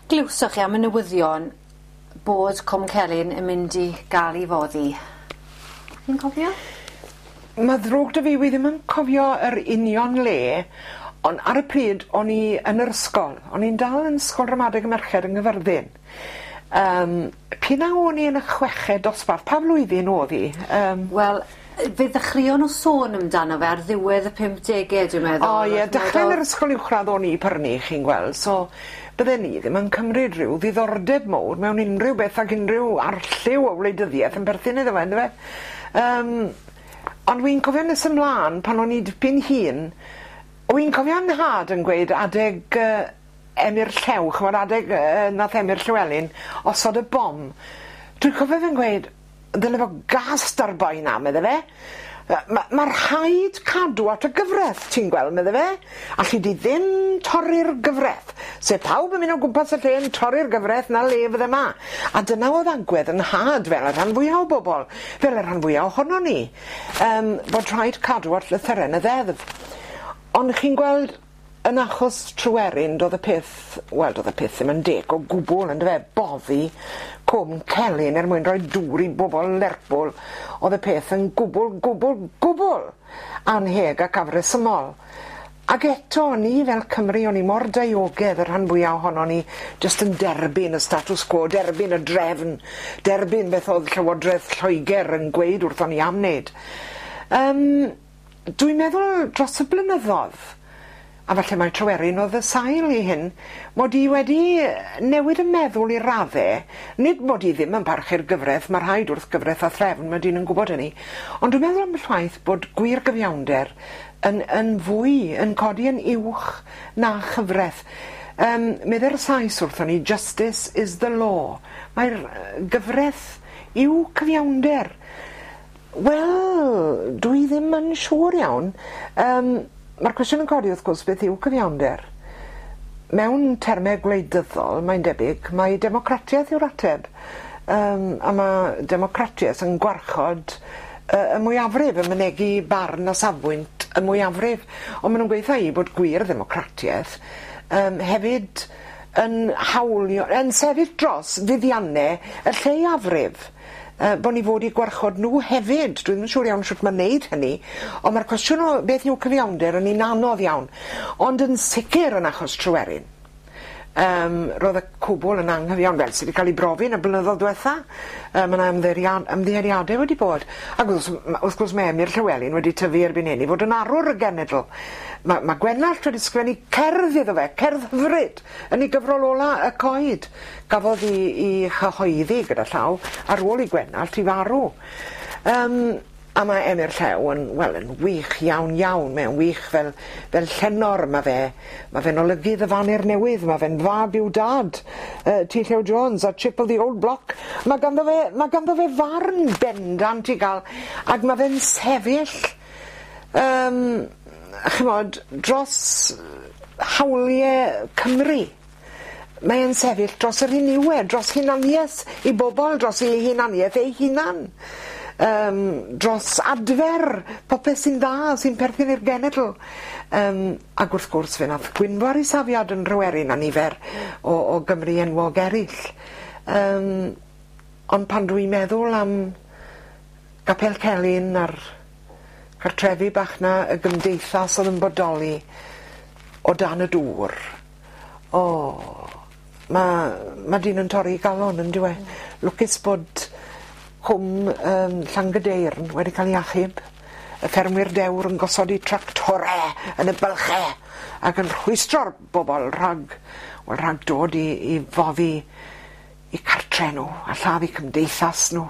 glywsoch chi am y newyddion bod Cwm Celyn yn mynd i ga'l 'i foddi? Chi'n cofio? Ma' ddrwg 'da fi wi ddim yn cofio yr union le on' ar y pryd o'n i yn yr ysgol. O'n i'n dal yn ysgol ramadeg y merched yng Nghyfyrddin. Yym p'un a o'n i yn y chweched dosbarth, pa flwyddyn o'dd 'i? Yym. Wel fe ddechreuon nw sôn amdano fe ar ddiwedd y pump dege dwi'n meddwl. O ie dechre yn yr ysgol uwchradd o'n i pyrny chi'n gweld so bydden i ddim yn cymryd rhyw ddiddordeb mowr mewn unrhyw beth ag unrhyw arlliw o wleidyddieth yn perthyn iddo fe on'd yfe? Yym ond wi'n cofio nes ymlan pan o'n i dipyn hŷn wi'n cofio 'nhad yn gweud adeg yy Emyr Llew ch'mod adeg yy nath Emyr Llywelyn osod y bom dwi'n cofio fe'n gweud Dyle fo gast ar boi 'na medde fe. Yy ma' ma' rhaid cadw at y gyfreth ti'n gweld medde fe. Alli di ddim torri'r gyfreth. Se pawb yn myn' o gwmpas y lle yn torri'r gyfreth 'na le fydde 'ma. A dyna o'dd agwedd 'yn nhad fel y rhan fwya o bobol fel y rhan fwya ohonon ni. Yym bod rhaid cadw at lythyren y ddeddf. Ond chi'n gweld Yn achos Tryweryn do'dd y peth wel do'dd y peth ddim yn deg o gwbwl on'd yfe? Boddi Cwm Celyn er mwyn rhoi dŵr i bobol Lerpwl o'dd y peth yn gwbwl gwbwl gwbwl annheg ac afresymol. Ag eto ni fel Cymry o'n ni mor daeogedd y rhan fwya ohonon ni jyst yn derbyn y status quo derbyn y drefn derbyn beth o'dd Llywodreth Lloeger yn gweud wrthon ni am wneud. Yym. Dwi'n meddwl dros y blynyddodd, a falle mai Tryweryn o'dd y sail i hyn, mod i wedi newid 'y meddwl i radde, nid mod i ddim yn parchu'r gyfreth, ma' rhaid wrth gyfreth a threfn, ma' dyn yn gwbod hynny, ond dwi'n meddwl ambell waith bod gwir gyfiawnder yn yn fwy, yn codi yn uwch na chyfreth. Yym, medde'r Sais wrthon ni, justice is the law. Mae'r gyfreth yw cyfiawnder. Wel, dwi ddim yn siŵr iawn. Yym, ma'r cwestiwn yn codi wrth gwrs beth yw cyfiawnder? Mewn terme gwleidyddol, mae'n debyg, mai democratiaeth yw'r ateb. Yym, a ma' democratiaeth yn gwarchod y y mwyafrif, yn mynegi barn a safbwynt y mwyafrif. On' ma' nw'n gweutha i bod gwir ddemocratiaeth yym hefyd yn hawlio yn sefyll dros fuddianne y lleiafrif. Yy bo' ni fod i gwarchod n'w hefyd. Dwi ddim yn siŵr iawn shwt ma' neud hynny on' ma'r cwestiwn o beth yw cyfiawnder yn un anodd iawn. Ond yn sicir yn achos Tryweryn yym ro'dd y cwbwl yn anghyfiawn fel sy 'di ca'l 'i brofi yn y blynyddodd dwetha. Yy ma' 'na ymddeiriad- ymddiheuriade wedi bod. Ag wrth m- wrth gwrs ma' Emyr Llywelyn wedi tyfu erbyn hyn i fod yn arwr y genedl. Ma' ma' Gwenallt wedi sgwennu cerdd iddo fe, cerdd hyfryd, yn 'i gyfrol ola Y Coed. Gafodd 'i 'i chyhoeddi gyda llaw ar ôl i Gwenallt i farw. Yym a ma' Emyr Llew yn wel yn wych iawn iawn mae o'n wych fel fel llenor ma' fe ma' fe'n olygydd y Faner Newydd ma' fe'n fab i'w dad yy T Llew Jones a Chip o' the Old Block. Ma' ganddo fe ma' ganddo fe farn bendant i ga'l ag ma' fe'n sefyll yym ch'mod dros hawlie Cymru. Mae e'n sefyll dros yr hyn yw e, dros hunanieth i bobol, dros ei hunanieth ei hunan. Yym dros adfer popeth sy'n dda, sy'n perthyn i'r genedl. Yym ag wrth gwrs fe nath Gwynfor 'i safiad yn Nhryweryn a nifer o o Gymry enwog eryll. Yym ond pan dwi'n meddwl am Gapel Celyn a'r cartrefi bach 'na, y gymdeithas o'dd yn bodoli o dan y dŵr. O ma' ma' dyn yn torri 'i galon on'd yw e? Lwcus bod cwm yym Llangydeyrn wedi ca'l 'i achub. Y ffermwyr dewr yn gosod 'u tractore yn y bylche ac yn rhwystro'r bobol rhag wel rhag dod i i foddi 'u cartre n'w a lladd 'u cymdeithas n'w.